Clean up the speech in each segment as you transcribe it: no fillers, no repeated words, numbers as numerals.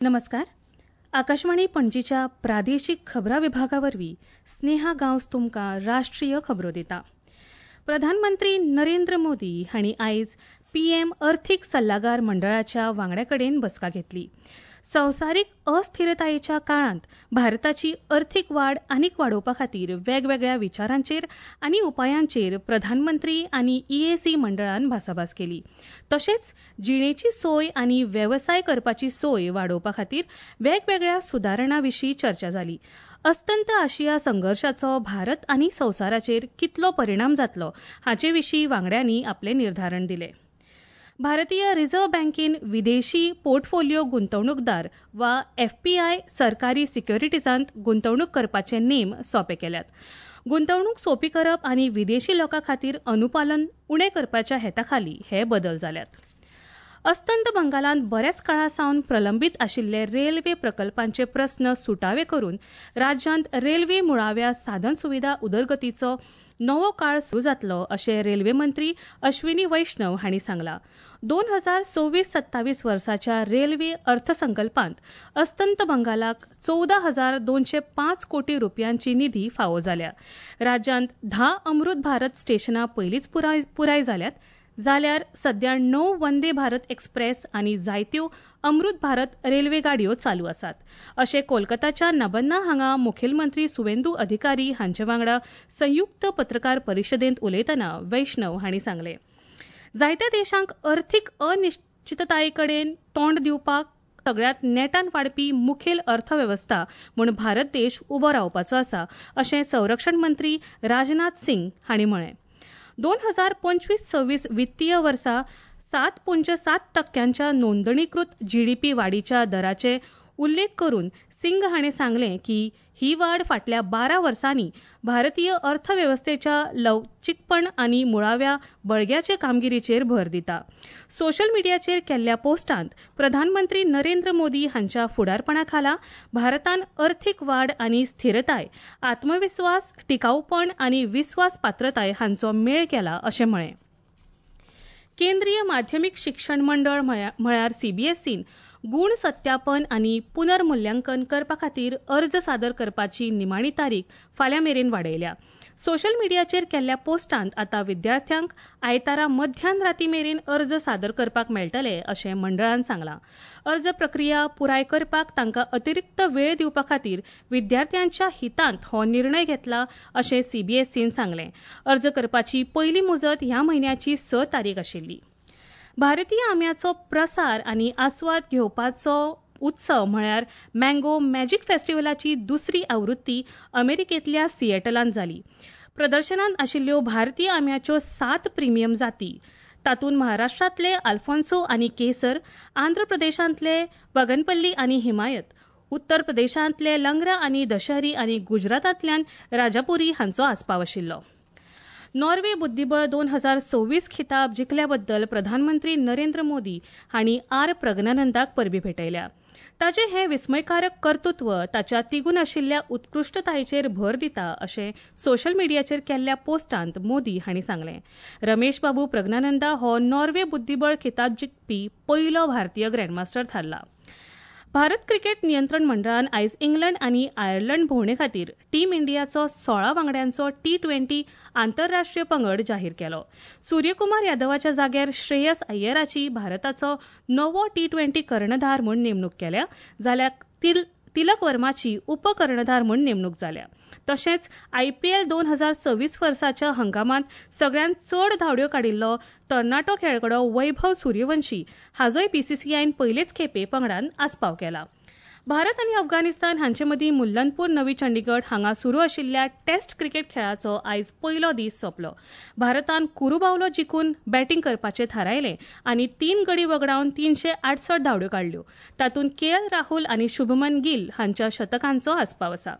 नमस्कार. आकाशवाणी पणजीच्या प्रादेशीक खबरां विभागा वरवीं स्नेहा गांवस तुमकां राष्ट्रीय खबरो दिता. प्रधानमंत्री नरेंद्र मोदी हांणी आयज पीएम अर्थीक सल्लागार मंडळाच्या वांगड्या कडेन बसका घेतली. संवसारीक अस्थिरतायेच्या काळांत भारताची अर्थीक वाड आनीक वाडोवपा खातीर वेगवेगळ्या विचारांचेर आनी उपायांचेर प्रधानमंत्री आनी ईएसी मंडळान भासाभास केली. तशेंच जिणेची सोय आनी वेवसाय करपाची सोय वाडोवपा खातीर वेगवेगळ्या सुदारणां विशीं चर्चा जाली. अस्तंत आशिया संघर्शाचो भारत आनी संवसाराचेर कितलो परिणाम जातलो हाचे विशीं वांगड्यांनी आपलें निर्धारण दिलें. भारतीय रिझर्व्ह बँकेन विदेशी पोर्टफोलिओ गुंतवणूकदार वा एफपीआय सरकारी सिक्युरिटीजांत गुंतवणूक करपाचे नेम सोंपे केल्यात. गुंतवणूक सोंपी करप आनी विदेशी लोकां खातीर अनुपालन उणें करपाच्या हेता खाली हे बदल जाल्यात. अस्तंत बंगालांत बऱ्याच काळा सावन प्रलंबीत आशिल्ले रेल्वे प्रकल्पांचे प्रस्न सुटावे करून राज्यांत रेल्वे मुळाव्या साधनसुविधा उदरगतीचो नवो काळ सुरू जातलो अशें रेल्वे मंत्री अश्विनी वैष्णव हांणी सांगलां. 2026-27 वर्साच्या रेल्वे अर्थसंकल्पांत अस्तंत बंगालाक 14,205 कोटी रुपयांची निधी फावो जाल्या. राज्यांत 10 अमृत भारत स्टेशनां पयलींच पुराय जाल्यात, जाल्यार सध्या 9 वंदे भारत एक्सप्रेस आनी जायत्यो अमृत भारत रेल्वे गाडयो चालू आसात अशें कोलकाताच्या नबन्ना हांगा मुखेलमंत्री सुवेंदू अधिकारी हांचे वांगडा संयुक्त पत्रकार परिशदेंत उलयतना वैष्णव हांणी सांगलें. जायत्या देशांक अर्थीक अनिश्चितताये कडेन तोंड दिवपाक सगळ्यांत नेटान वाडपी मुखेल अर्थवेवस्था म्हूण भारत देश उबो रावपाचो आसा अशें संरक्षण मंत्री राजनाथ सिंग हांणी म्हळें. 2025-26 वित्तीय वर्सा 7.7% नोंदणीकृत जीडीपी वाडीच्या दराचे उल्लेख करून सिंग हाणें सांगलें की ही वाड फाटल्या 12 वर्सांनी भारतीय अर्थवेवस्थेच्या लवचीकपण आनी मुळाव्या बळग्याचे कामगिरीचेर भर दिता. सोशल मिडियाचेर केल्ल्या पोस्टांत प्रधानमंत्री नरेंद्र मोदी हांच्या फुडारपणा खाला भारतान अर्थीक वाड आनी स्थिरताय, आत्मविस्वास, टिकाऊपण आनी विस्वासपात्रताय हांचो मेळ केला अशें म्हळें. केंद्रीय माध्यमीक शिक्षण मंडळ म्हळ्यार सीबीएसईन गुण सत्यापन आनी पुनर्मुल्यांकन करपा खातीर अर्ज सादर करपाची निमाणी तारीख फाल्यां मेरेन वाडयल्या. सोशल मिडियाचेर केल्ल्या पोस्टांत आतां विद्यार्थ्यांक आयतारा मध्यान राती मेरेन अर्ज सादर करपाक मेळटले अशें मंडळान सांगलां. अर्ज प्रक्रिया पुराय करपाक तांकां अतिरिक्त वेळ दिवपा खातीर विद्यार्थ्यांच्या हितांत हो निर्णय घेतला अशें सीबीएसईन सांगलें. अर्ज करपाची पयली मुजत ह्या म्हयन्याची 6 तारीख आशिल्ली. भारतीय आंब्याचो प्रसार आनी आस्वाद घेवपाचो उत्सव म्हळ्यार मँगो मॅजिक फेस्टिवलाची दुसरी आवृत्ती अमेरिकेंतल्या सिएटलांत जाली. प्रदर्शनांत आशिल्ल्यो भारतीय आंब्याच्यो 7 प्रिमियम जाती, तातूंत महाराष्ट्रांतले अल्फोन्सो आनी केसर, आंध्र प्रदेशांतले बगनपल्ली आनी हिमायत, उत्तर प्रदेशांतले लंगरा आनी दशहरी आनी गुजरातांतल्यान राजापुरी हांचो आस्पाव आशिल्लो. नॉर्वे बुद्दीबळ 2026 खिताब जिखल्याबद्दल प्रधानमंत्री नरेंद्र मोदी हांणी आर प्रज्ञानंदाक परबीं भेटयल्या. ताचें हें विस्मयकारक कर्तृत्व ताच्या तिगून आशिल्ल्या उत्कृश्टतायेचेर भर दिता अशें सोशल मिडियाचेर केल्ल्या पोस्टांत मोदी हांणी सांगलें. रमेश बाबू प्रज्ञानंदा हो नॉर्वे बुद्दीबळ खिताब जिखपी पयलो भारतीय ग्रँडमास्टर थारला. भारत क्रिकेट नियंत्रण मंडळान आयज इंग्लंड आनी आयर्लंड भोंवडे खातीर टीम इंडियाचो 16 वांगड्यांचो टी20 आंतरराष्ट्रीय पंगड जाहीर केलो. सूर्यकुमार यादवाच्या जाग्यार श्रेयस अय्यराची भारताचो नवो टी20 कर्णधार म्हूण नेमणूक केल्या, जाल्यार तिलक वर्माची उपकर्णधार म्हूण नेमणूक जाल्या. तशेंच आयपीएल 2026 वर्साच्या हंगामांत सगळ्यांत चड धांवड्यो काडिल्लो तरणाटो खेळगडो वैभव सूर्यवंशी हाजोय बीसीसीआयन पयलेच खेपे पंगडान आस्पाव केला. भारत आनी अफगाणिस्तान हांचे मदीं मुल्लनपूर नवी चंडीगड हांगा सुरू आशिल्ल्या टेस्ट क्रिकेट खेळाचो आयज पयलो दीस सोंपलो. भारतान कुरुबावलो जिखून बॅटींग करपाचें थारायलें आनी 3 गडी वगडावन 368 धांवड्यो काडल्यो. तातूंत के एल राहुल आनी शुभमन गिल हांच्या शतकांचो आस्पाव आसा.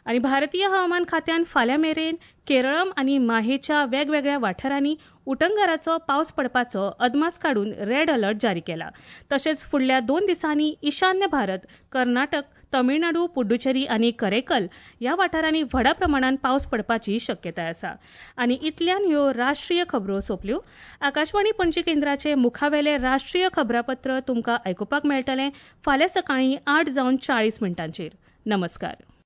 आनी भारतीय हवामान खात्यान फाल्यां मेरेन केरळम आनी माहेच्या वेगवेगळ्या वाठारांनी उटंगाराचो पावस पडपाचो अदमास काडून रेड अलर्ट जारी केला. तशेंच फुडल्या 2 दिसांनी ईशान्य भारत, कर्नाटक, तमिळनाडू, पुडुचेरी आनी करेकल ह्या वाठारांनी व्हडा प्रमाणात पावस पडपाची शक्यताय आसा. आनी इतल्यान ह्यो राष्ट्रीय खबरो सोंपल्यो. आकाशवाणी पणजी केंद्राचे मुखावेले राष्ट्रीय खबरापत्र तुमकां आयकुपाक मेळटलें फाल्यां सकाळीं 8:40. नमस्कार.